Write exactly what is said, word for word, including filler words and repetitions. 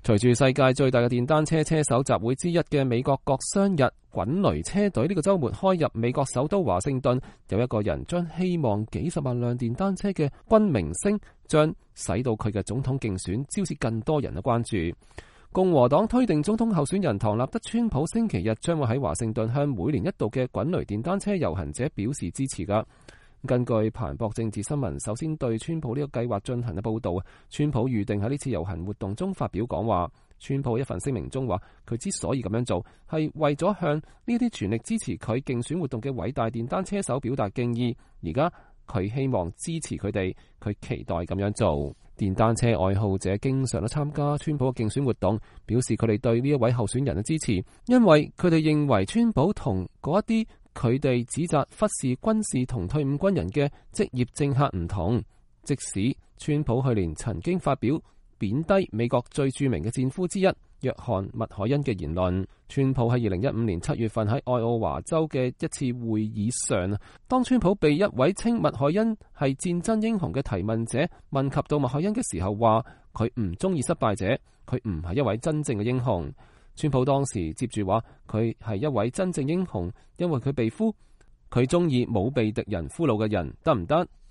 隨住世界最大嘅電單車車手集會之一嘅美國國殤日滾雷車隊呢個週末開入美國首都華盛頓，有一個人將希望幾十萬輛電單車嘅軍明星，將使到佢嘅總統競選招致更多人嘅關注。共和黨推定總統候選人唐納德川普星期日將會喺華盛頓向每年一度嘅滾雷電單車遊行者表示支持㗎。根據彭博政治新聞首先對川普呢個計劃進行嘅報導，川普預定喺呢次遊行活動中發表講話。川普一份聲明中話，佢之所以咁樣做，係為咗向呢啲全力支持佢競選活動嘅偉大電單車手表達敬意。而家佢希望支持佢哋，佢期待咁樣做。電單車愛好者經常都參加川普嘅競選活動，表示佢哋對呢一位候選人嘅支持，因為佢哋認為川普同嗰一啲佢哋指責忽視軍事同退伍軍人嘅職業政客唔同。即使川普去年曾經發表貶低美國最著名嘅戰俘之一約翰麥凱恩嘅言論，川普喺二零一五年七月份喺愛奧華州嘅一次會議上，當川普被一位稱麥凱恩係戰爭英雄嘅提問者問及到麥凱恩嘅時候，話佢唔中意失敗者，佢唔係一位真正嘅英雄。川普當時接住話佢係一位真正英雄，因為佢被俘，佢中意冇被敵人俘虜嘅人，得唔得？